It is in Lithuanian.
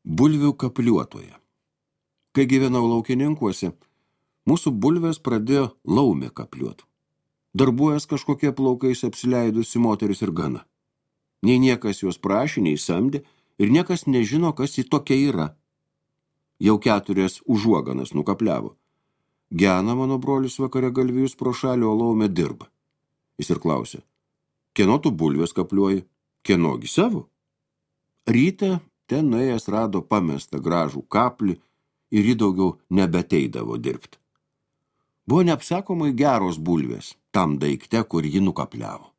Bulvių kapliuotoje. Kai gyvenau laukininkuose, mūsų bulvės pradėjo laumė kapliuot. Darbuojas kažkokie plaukais apsileidusi moteris ir gana. Nei niekas jos prašė, nei samdė, ir niekas nežino, kas ji tokia yra. Jau 4 užuoganas nukapliavo. Gena mano brolis vakare galvijus pro šalį, o laumė dirba. Jis ir klausė, kieno tu bulvės kapliuoji, kienogi savo? Rytą ten nuėjęs rado pamestą gražų kaplį ir jį daugiau nebeteidavo dirbti. Buvo neapsakomai geros bulvės tam daikte, kur jį nukapliavo.